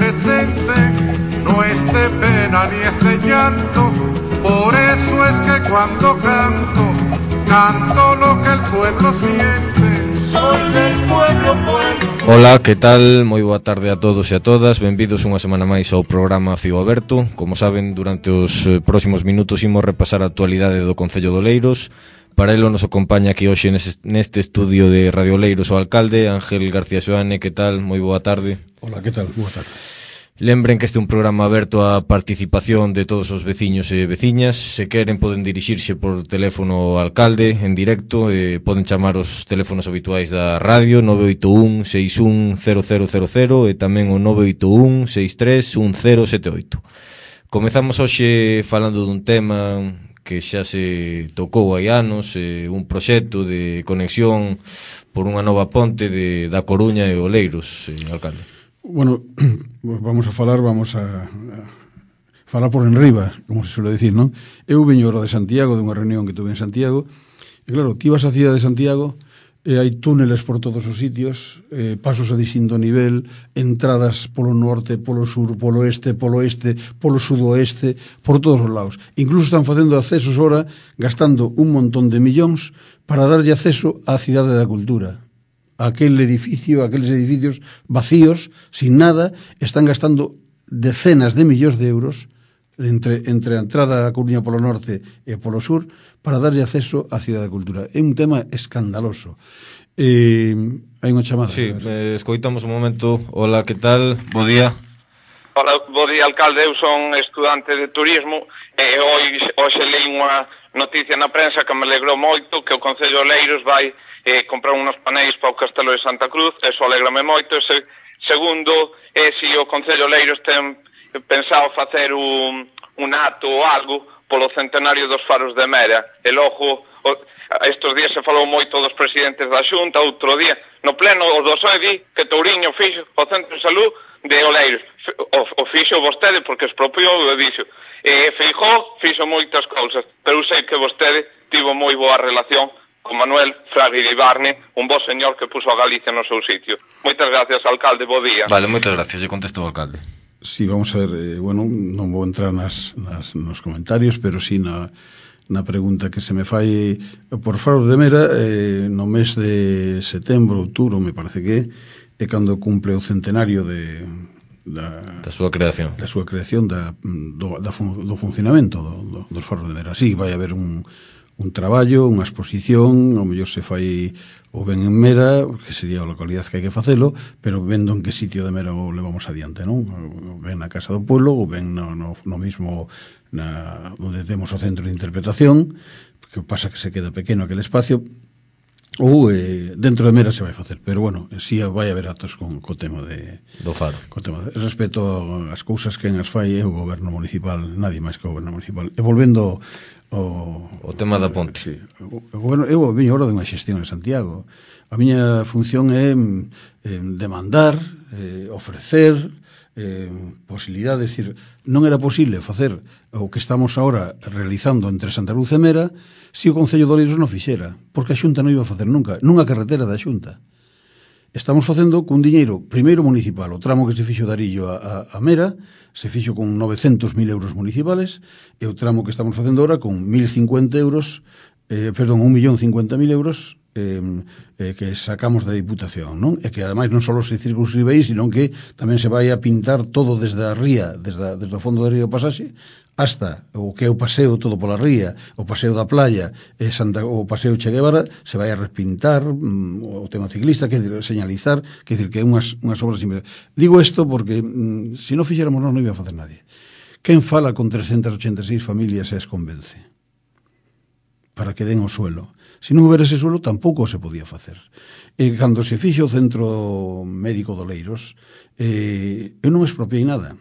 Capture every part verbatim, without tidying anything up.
presente, no es de pena ni es de llanto. Por eso es que cuando canto, canto lo que el pueblo siente. Soy del pueblo, pueblo. Ola, que tal? Moi boa tarde a todos e a todas. Benvidos unha semana máis ao programa Fío Aberto. Como saben, durante os próximos minutos imos repasar a actualidade do Concello de Oleiros. Para elo nos acompaña aquí hoxe neste estudio de Radio Oleiros o alcalde Ángel García Xoane. Que tal? Moi boa tarde. Ola, que tal? Boa tarde. Lembren que este é un programa aberto á participación de todos os veciños e veciñas. Se queren poden dirixirse por teléfono ao alcalde en directo, e poden chamar os teléfonos habituais da radio nove oito un seis un cero cero cero cero e tamén o nove oito un seis tres un cero sete oito. Comezamos hoxe falando dun tema que xa se tocou hai anos, eh, un proxecto de conexión por unha nova ponte de, da Coruña e Oleiros, eh, alcalde. Bueno, vamos a falar, vamos a, a falar por enriba, como se suele decir, non? Eu veño ahora de Santiago, de unha reunión que tuve en Santiago, e claro, ti vas á cidade de Santiago e hai túneles por todos os sitios, eh, pasos a distinto nivel, entradas polo norte, polo sur, polo este, polo este, polo sudoeste, por todos os lados. Incluso están facendo accesos ahora, gastando un montón de millóns para darlle acceso á cidade da cultura. Aquel edificio, aqueles edificios vacíos, sin nada, están gastando decenas de millóns de euros entre, entre a entrada a Coruña polo norte e polo sur para darlle acceso á Cidade da Cultura. É un tema escandaloso. Eh, hai unha chamada. Sí, eh, escoitamos un momento. Hola, que tal? Bo día. Hola, bo día, alcalde. Eu son estudante de turismo e hoxe, hoxe leí unha noticia na prensa que me alegrou moito, que o Concello de Oleiros vai eh, comprar uns paneis para o Castelo de Santa Cruz. Eso alegrame moito. E se, segundo, é se o Concello de Oleiros ten pensado facer un, un acto ou algo polo centenario dos faros de Mera. E logo, o, estes días se falou moito dos presidentes da Xunta, outro día no pleno o do P S O E di que Touriño fixo o Centro de Salud de Oleiros. O, o fixo vostede porque expropiou o dixo. E Feijóo fixo moitas cousas, pero sei que vostede tivo moi boa relación con Manuel Fraga Iribarne, un bo señor que puso a Galicia no seu sitio. Moitas gracias, alcalde, bo día. Vale, moitas gracias, lle contestou o alcalde. Sí, vamos a ver, eh, bueno, non vou entrar nas, nas, nos comentarios, pero sí na, na pregunta que se me fai por Faros de Mera, eh, no mes de setembro, outubro, me parece que é cando cumple o centenario de da, da súa creación da súa creación da, do, da fun, do funcionamento do, do, dos Faros de Mera. Sí, vai haber un un traballo, unha exposición, ao mellor se fai o ben en Mera, que sería a localidade que hai que facelo, pero vendo en que sitio de Mera o levamos adiante, non? O ben na Casa do Pueblo, ou ben no, no, no mismo na, onde temos o centro de interpretación, que pasa que se queda pequeno aquel espacio, ou eh, dentro de Mera se vai facer, pero bueno, si sí vai haber actos con co tema de do faro. Co tema de respecto ás cousas que en as fai é o goberno municipal, nadie máis que o goberno municipal. E volvendo O, o tema da ponte. Sí. O, bueno, eu veño ahora dunha xestión en Santiago. A miña función é eh, demandar, eh, ofrecer eh, posibilidade, decir, non era posible facer o que estamos ahora realizando entre Santa Cruz e Mera se o Concello de Oleiros non fixera, porque a Xunta non iba a facer nunca, nunha carretera da Xunta. Estamos facendo cun diñeiro primeiro municipal, o tramo que se fixo de Arillo a, a, a Mera se fixo con novecentos mil euros municipales e o tramo que estamos facendo ahora con mil cincuenta euros, eh, perdón, un millón cincuenta mil euros eh, eh, que sacamos da Diputación, non? E que ademais non só se circunscribe aí, sino que tamén se vai a pintar todo desde a ría, desde, a, desde o fondo do río Pasaxe hasta o que é o paseo todo pola ría, o paseo da playa, e Santa, o paseo Che Guevara, se vai a repintar mm, o tema ciclista, que decir, señalizar, que decir que é unhas, unhas obras simples. Digo isto porque mm, se non fixéramos non, non iba a facer nadie. Quen fala con trescentas ochenta e seis familias e as convence para que den o suelo? Se non houbera ese suelo, tampouco se podía facer. E cando se fixo o Centro Médico de Oleiros, eh, eu non expropiei nada.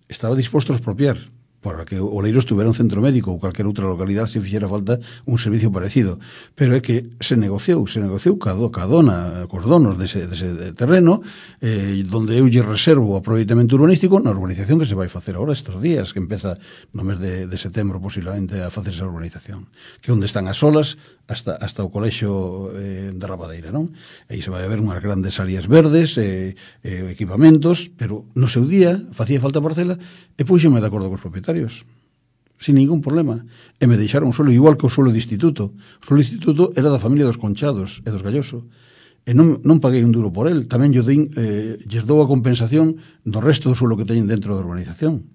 Estaba disposto a expropiar, para que o Oleiros tuvera un centro médico ou calquera outra localidade se fixera falta un servicio parecido. Pero é que se negociou, se negociou ca dona, cos donos dese, dese terreno, eh, donde eu lle reservo o aproveitamento urbanístico na urbanización que se vai facer agora estes días, que empeza no mes de, de setembro posiblemente a facerse a urbanización, que onde están as olas hasta, hasta o colexio eh, de Rabadeira, non? Aí se vai a ver unhas grandes áreas verdes, eh, eh, equipamentos, pero no seu día facía falta parcela e puxeme de acordo cos propietarios sin ningún problema, e me deixaron o suelo igual que o suelo de instituto. O suelo de instituto era da familia dos Conchados e dos Galloso, e non, non paguei un duro por el. Tamén yo din, eh, lles dou a compensación do resto do suelo que teñen dentro da urbanización.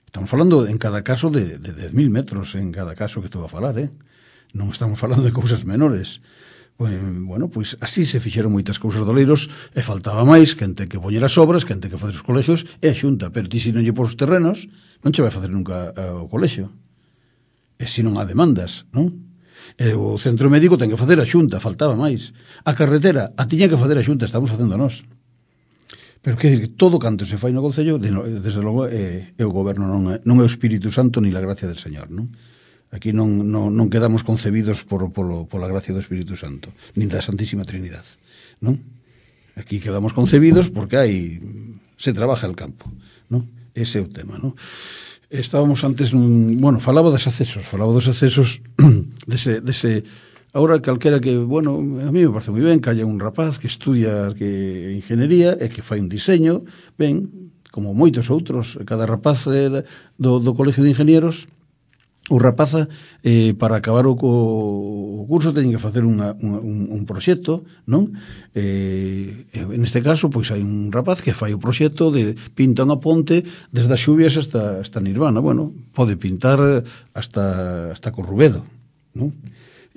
Estamos falando en cada caso de, de dez mil metros en cada caso que estou a falar, eh? Non estamos falando de cousas menores. Bueno, pois así se fixeron moitas cousas de Oleiros e faltaba máis quen ten que poñer as obras, quen ten que facer os colexios e a Xunta, pero ti se non lle pos os terrenos non che vai facer nunca o colexio, e se non há demandas, non? E o centro médico ten que facer a Xunta, faltaba máis, a carretera a tiña que facer a Xunta, estamos facendo nós. Pero que decir, todo canto se fai no Concello, desde logo é, é o goberno, non é, non é o Espírito Santo ni la gracia del Señor, non? Aquí non, non, non quedamos concebidos por, por, por la gracia do Espírito Santo, nin da Santísima Trinidad, non? Aquí quedamos concebidos porque hai, se trabaja el campo, non? Ese é o tema, non? Estábamos antes, nun, bueno, falaba dos accesos, falaba dos accesos dese, dese, ahora calquera que, bueno, a mí me parece moi ben que haya un rapaz que estudia que ingeniería e que fai un diseño, ben, como moitos outros, cada rapaz eh, do, do Colegio de Ingenieros, o rapaza, eh, para acabar o, o curso teñen que facer unha, unha, un, un proxecto, non? Eh, en este caso, pois hai un rapaz que fai o proxecto de pinta unha ponte desde as xubias hasta, hasta Nirvana. Bueno, pode pintar hasta, hasta Corrubedo, non?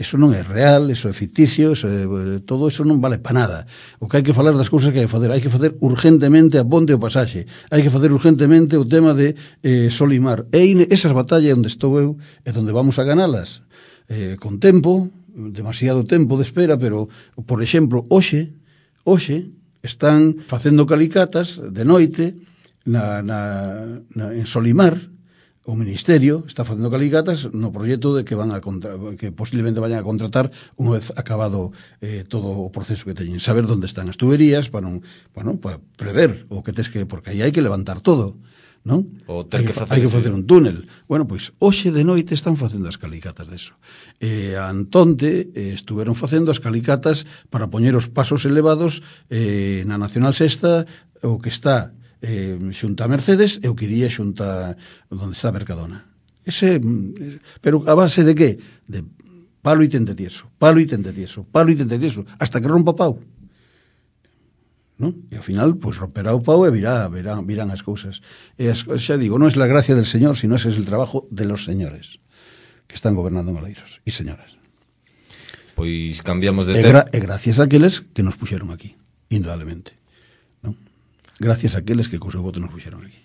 Eso non é real, eso é ficticio, eso é, todo eso non vale para nada. O que hai que falar das cousas que hai que facer, hai que facer urgentemente a ponte o pasaxe, hai que facer urgentemente o tema de eh, Solimar. E esas batallas onde estou eu é onde vamos a ganalas eh, con tempo, demasiado tempo de espera, pero, por exemplo, hoxe, hoxe están facendo calicatas de noite na, na, na, en Solimar. O Ministerio está facendo calicatas no proxecto de que van a contra, que posiblemente vayan a contratar unha vez acabado eh, todo o proceso que teñen, saber onde están as tuberías para non, bueno, para prever o que tes que, porque aí hai que levantar todo, non? O ten que facer, hai que facer un túnel. Bueno, pois hoxe de noite están facendo as calicatas deso. Eh, Antonte eh, estuveron facendo as calicatas para poñer os pasos elevados eh, na Nacional Sexta, o que está eh, xunta a Mercedes e o que iría xunta onde está a Mercadona. Ese, pero a base de que? De palo e tente tieso, palo e tente tieso, palo e tente tieso, hasta que rompa pau. ¿No? E ao final, pois, pues, romperá o pau e virá, virán, virán as cousas. E as, xa digo, non é la gracia del Señor, sino ese es el trabajo de los señores que están gobernando en Oleiros e señoras. Pois cambiamos de tema. E, gra e gracias a aqueles que nos puxeron aquí, indudablemente. Gracias a aqueles que co seu voto nos puxeron aquí.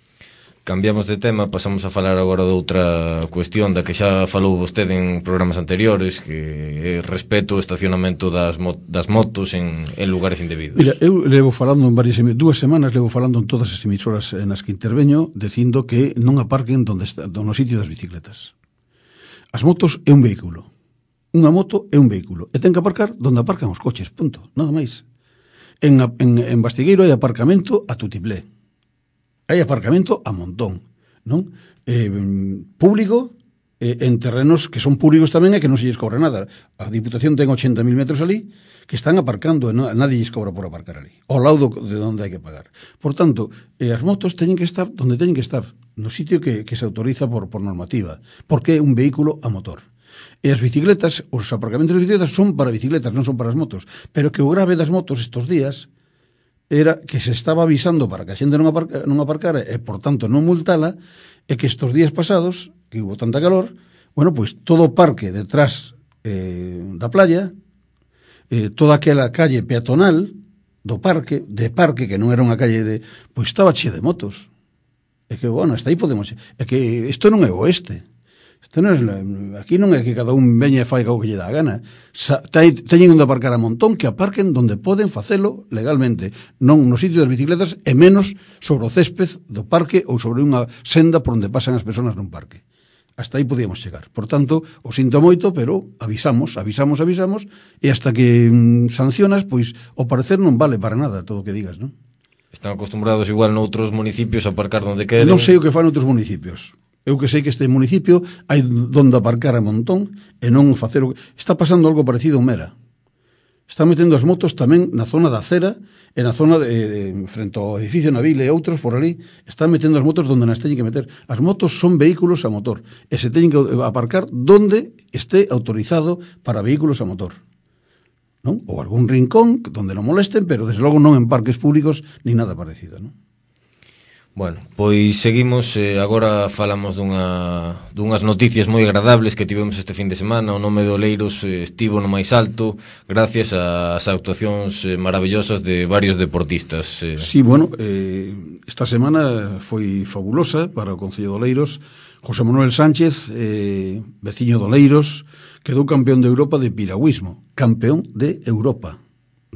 Cambiamos de tema, pasamos a falar agora de outra cuestión da que xa falou vostede en programas anteriores, que é respeto ao estacionamento das, mo das motos en, en lugares indebidos. Mira, eu levo falando en varias dúas semanas levo falando en todas as emisoras nas que interveño, dicindo que non aparquen donde está, no sitio das bicicletas. As motos é un vehículo. Unha moto é un vehículo. E ten que aparcar donde aparcan os coches, punto, nada máis. En, en, en Bastigueiro hai aparcamento a tutiplé. Hai aparcamento a montón, non? Eh, público, eh, en terrenos que son públicos tamén e que non se lles cobra nada. A Diputación ten ochenta mil metros ali que están aparcando e non, nadie lles cobra por aparcar ali. Ao lado de onde hai que pagar. Por tanto, eh, as motos teñen que estar donde teñen que estar, no sitio que, que se autoriza por, por normativa, porque é un vehículo a motor. E as bicicletas, os aparcamentos de bicicletas son para bicicletas, non son para as motos. Pero que o grave das motos estos días era que se estaba avisando para que a xente non, aparca, non aparcara e, por tanto, non multala, e que estos días pasados, que hubo tanta calor, bueno, pois todo o parque detrás eh, da playa, eh, toda aquela calle peatonal do parque, de parque, que non era unha calle de... pois estaba chea de motos. É que, bueno, hasta aí podemos... É que isto non é oeste. Isto non é, aquí non é que cada un veña e fai o que lle dá a gana. Sa, teñen onde aparcar a montón, que aparquen donde poden facelo legalmente, non no sitio das bicicletas e menos sobre o césped do parque ou sobre unha senda por onde pasan as persoas nun parque. Hasta aí podíamos chegar. Por tanto, o sinto moito, pero avisamos, avisamos, avisamos, e hasta que mm, sancionas, pois o parecer non vale para nada todo o que digas, non? Están acostumbrados igual noutros municipios a aparcar donde queren. Non sei o que fan outros municipios. Eu que sei que este municipio hai donde aparcar a montón e non facer o que... Está pasando algo parecido en Mera. Están metendo as motos tamén na zona da acera e na zona de, de, frente ao edificio Nabil e outros por ali. Están metendo as motos donde nas teñen que meter. As motos son vehículos a motor e se teñen que aparcar donde esté autorizado para vehículos a motor, non? Ou algún rincón donde non molesten, pero desde logo non en parques públicos ni nada parecido, non? Bueno, pois seguimos, eh, agora falamos dunha, dunhas noticias moi agradables que tivemos este fin de semana. O nome do Oleiros eh, estivo no máis alto gracias ás actuacións eh, maravillosas de varios deportistas. Eh. Sí, bueno, eh, esta semana foi fabulosa para o Concello de Oleiros. José Manuel Sánchez, eh, veciño de Oleiros, quedou campeón de Europa de piragüismo, campeón de Europa,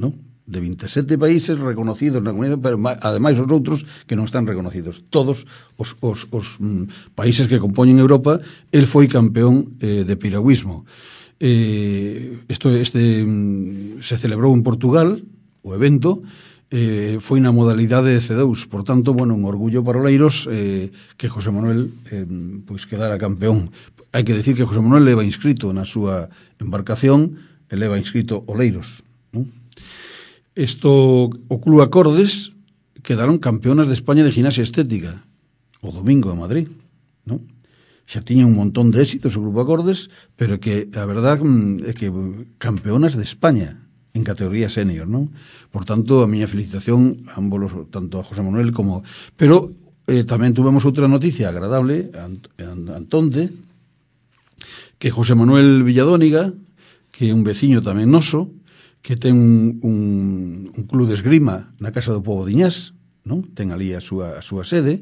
non? De vinte e sete países reconocidos na comunidade, pero ademais os outros que non están reconocidos. Todos os, os, os mm, países que compoñen Europa, el foi campeón eh, de piragüismo. Eh, esto, este mm, se celebrou en Portugal, o evento, eh, foi na modalidade de C dous. Por tanto, bueno, un orgullo para Oleiros eh, que José Manuel eh, pois quedara campeón. Hai que decir que José Manuel leva inscrito na súa embarcación, e leva inscrito Oleiros, non? Esto, o Club Acordes quedaron campeonas de España de gimnasia estética o domingo en Madrid, non? Xa tiña un montón de éxitos o Grupo Acordes, pero que a verdad é que campeonas de España en categoría senior, non? Por tanto, a miña felicitación a ambos, tanto a José Manuel como... Pero eh, tamén tuvemos outra noticia agradable, Antonte, que José Manuel Villadóniga, que é un veciño tamén noso, que ten un, un, un club de esgrima na Casa do Pobo de Iñás, non? Ten ali a súa, a súa sede,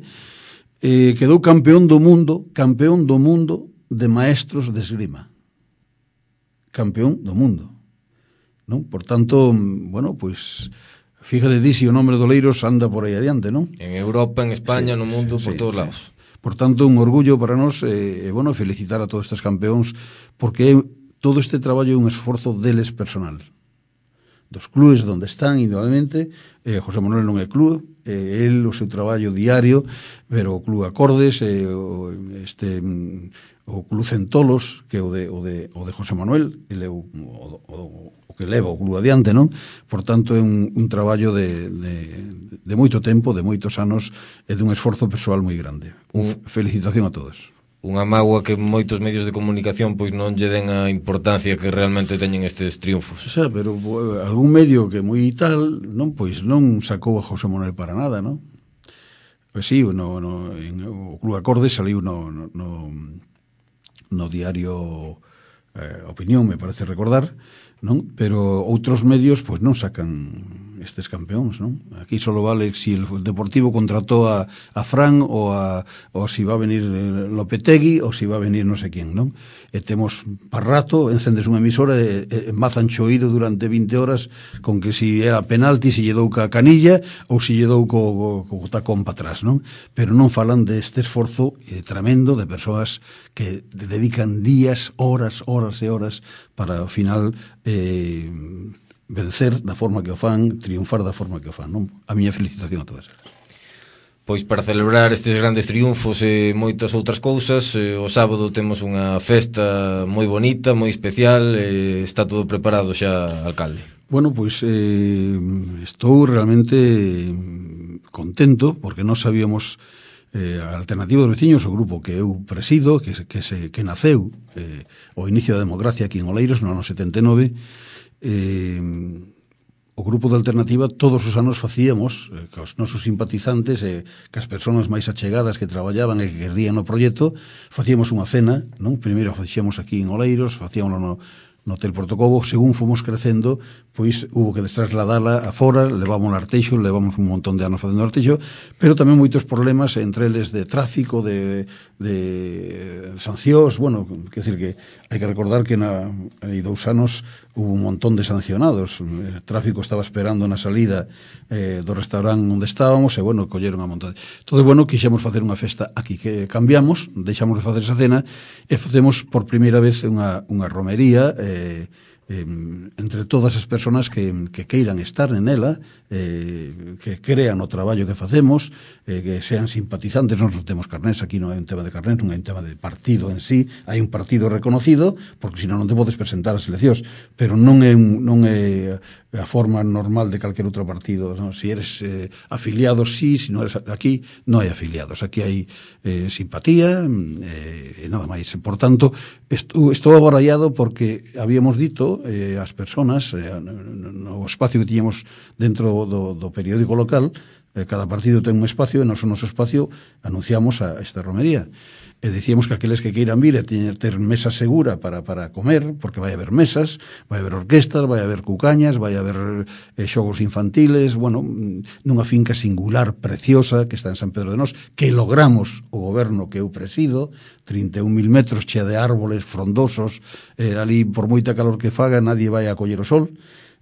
eh, quedou campeón do mundo, campeón do mundo de maestros de esgrima. Campeón do mundo, non? Por tanto, bueno, pois, fíjate di si o nombre do Oleiros anda por aí adiante, non? En Europa, en España, sí, no mundo, sí, por todos sí. lados. Por tanto, un orgullo para nós, e, eh, bueno, felicitar a todos estes campeóns, porque todo este traballo é un esforzo deles personal. Dos clubes onde están, indudablemente, eh, José Manuel non é club, eh, el o seu traballo diario, pero o Club Acordes, eh, o, este, o Club Centolos, que é o de, o de, o de José Manuel, ele é o, o, o, o que leva o club adiante, non? Por tanto, é un, un traballo de, de, de moito tempo, de moitos anos, e dun esforzo persoal moi grande. Un felicitación a todos. Unha mágoa que moitos medios de comunicación pois non lle den a importancia que realmente teñen estes triunfos. O sea, pero bo, algún medio que moi tal, non, pois non sacou a José Manuel para nada, non? Pois sí, no, no, en, o Club Acordes saliu no, no, no, no diario eh, Opinión, me parece recordar, non? Pero outros medios pois non sacan estes campeóns, non? Aquí só vale si el Deportivo contratou a, a Fran ou a, ou si va a venir Lopetegui ou si va a venir non sei quen, non? E temos para rato, encendes unha emisora e, e mazan choído durante vinte horas con que si era penalti, si lle dou ca canilla ou si lle dou co, co, co tacón para atrás, non? Pero non falan deste esforzo eh, tremendo de persoas que dedican días, horas, horas e horas para ao final eh, vencer da forma que o fan, triunfar da forma que o fan, non? A miña felicitación a todas elas. Pois para celebrar estes grandes triunfos e moitas outras cousas, eh, o sábado temos unha festa moi bonita, moi especial, e está todo preparado xa, alcalde. Bueno, pois eh, estou realmente contento, porque non sabíamos eh, a Alternativa dos Veciños, o grupo que eu presido, que, que, se, que naceu eh, o inicio da democracia aquí en Oleiros no ano setenta e nove. Eh, o grupo de Alternativa todos os anos facíamos eh, que os nosos simpatizantes e eh, que as persoas máis achegadas que traballaban e que querían no proxecto, facíamos unha cena, non? Primeiro facíamos aquí en Oleiros, facíamos no, no Hotel Portocobo. Según fomos crecendo, pois hubo que trasladala afora, levamos Arteixo, levamos un montón de anos facendo Arteixo, pero tamén moitos problemas entre eles de tráfico, de, de sancións. Bueno, quer decir que hai que recordar que na, hai dous anos hubo un montón de sancionados. O tráfico estaba esperando na salida eh, do restaurante onde estábamos e, bueno, colleron a montón. Todo, bueno, quixemos facer unha festa aquí, que cambiamos, deixamos de facer esa cena e facemos por primeira vez unha, unha romería eh, eh, entre todas as persoas que, que queiran estar en ela, eh, que crean o traballo que facemos, eh, que sean simpatizantes. Nós non temos carnés, aquí non hai un tema de carnés, non hai un tema de partido en sí, hai un partido reconocido, porque senón non te podes presentar ás eleccións, pero non é, un, non é a forma normal de calquer outro partido, ¿no? Si eres eh, afiliado, sí, si non eres aquí, non hai afiliados, aquí hai eh, simpatía e eh, nada máis. Por tanto, estou, estou abarallado porque habíamos dito eh, as persoas eh, no espacio que tiñamos dentro do, do periódico local, eh, cada partido ten un espacio e nos o noso espacio anunciamos a esta romería. E dicíamos que aqueles que queiran vir e tener, ter mesa segura para, para comer, porque vai haber mesas, vai haber orquestas, vai haber cucañas, vai haber eh, xogos infantiles, bueno, nunha finca singular, preciosa, que está en San Pedro de Nós, que logramos o goberno que eu presido, trinta e un mil metros, chea de árboles frondosos, eh, ali por moita calor que faga, nadie vai a coller o sol,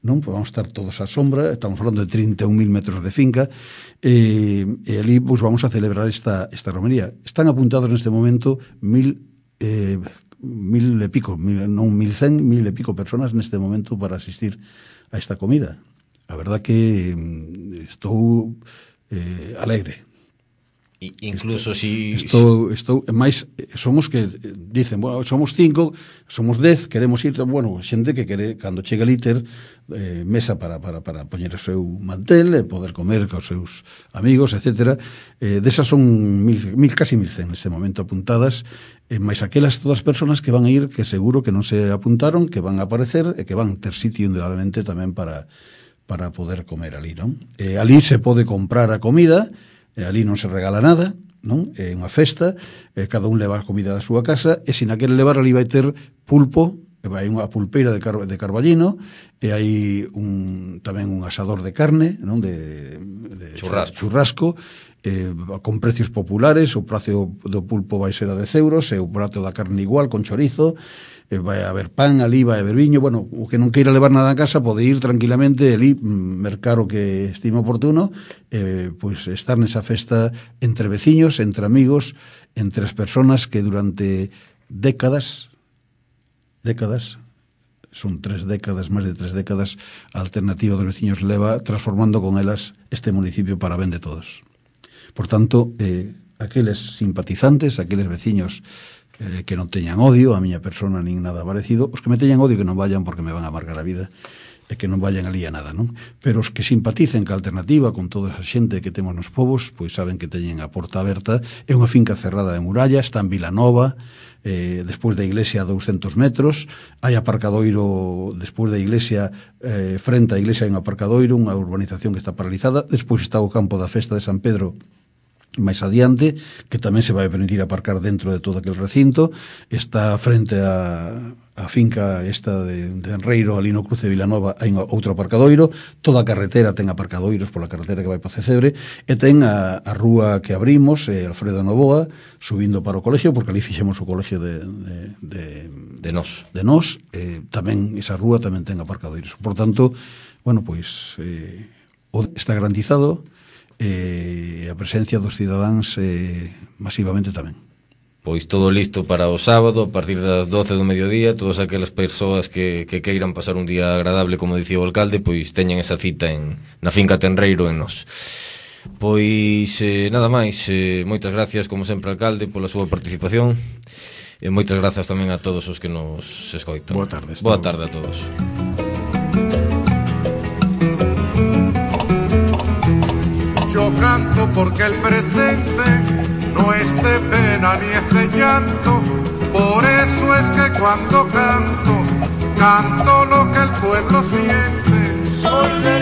non? Pues vamos a estar todos á sombra, estamos falando de trinta e un mil metros de finca, e, e ali pues, vamos a celebrar esta, esta romería. Están apuntados neste momento mil, eh, mil e pico, mil, non mil cen, mil e pico personas neste momento para asistir a esta comida. A verdad que estou eh, alegre. I, incluso si estou, estou máis, somos que dicen, bueno, somos cinco, somos dez, queremos ir, bueno, xente que quere cando chega el íter eh, mesa para, para, para poñer o seu mantel e poder comer cos seus amigos, etcétera. Eh, desas son mil, mil, casi mil cen neste momento apuntadas, eh, máis aquelas todas as persoas que van a ir, que seguro que non se apuntaron, que van a aparecer e que van ter sitio indudablemente tamén para, para poder comer ali, non? Eh, ali se pode comprar a comida. E ali non se regala nada, non? É unha festa, e cada un leva a comida da súa casa, e se na quere levar ali vai ter pulpo, e vai unha pulpeira de, car de carballino, e hai un, tamén un asador de carne, non? De, de churrasco, churrasco eh, con precios populares. O precio do pulpo vai ser a dez euros, e o prato da carne igual, con chorizo. Eh, vai haber pan ali, vai haber viño. Bueno, o que non queira levar nada a casa pode ir tranquilamente ali, mercar o que estime oportuno, eh, pois estar nesa festa entre veciños, entre amigos, entre as persoas que durante décadas décadas son tres décadas, máis de tres décadas, a Alternativa dos Veciños leva transformando con elas este municipio para ben de todos. Por tanto, eh, aqueles simpatizantes, aqueles veciños Eh, que non teñan odio a miña persona nin nada parecido, os que me teñan odio que non vayan porque me van a amargar a vida e que non vayan ali a nada, non? Pero os que simpaticen ca Alternativa con toda esa xente que temos nos povos, pois saben que teñen a porta aberta. É unha finca cerrada de muralla, está en Vilanova, eh, despois da iglesia a douscentos metros, hai aparcadoiro despois da iglesia, eh, frente á iglesia hai un aparcadoiro, unha urbanización que está paralizada, despois está o campo da festa de San Pedro máis adiante, que tamén se vai permitir aparcar dentro de todo aquel recinto. Está frente a, a finca esta de, de Enreiro, ali no cruce de Vilanova, hai un, outro aparcadoiro. Toda a carretera ten aparcadoiros pola carretera que vai para Cecebre, e ten a, a rúa que abrimos, eh, Alfredo Novoa, subindo para o colegio, porque ali fixemos o colegio de, de, de, de Nós. De Nós, eh, tamén esa rúa tamén ten aparcadoiros. Por tanto, bueno, pois eh, está garantizado, e eh, a presencia dos cidadáns eh, masivamente tamén. Pois todo listo para o sábado a partir das doce do mediodía. Todas aquelas persoas que, que queiran pasar un día agradable, como dicía o alcalde, pois teñen esa cita en, na finca Tenreiro en Nós. Pois eh, nada máis, eh, moitas gracias como sempre, alcalde, pola súa participación, e moitas grazas tamén a todos os que nos escoitan. Boa tarde. Boa tarde a todos. Yo canto porque el presente no es de pena ni es de llanto, por eso es que cuando canto, canto lo que el pueblo siente. Soy de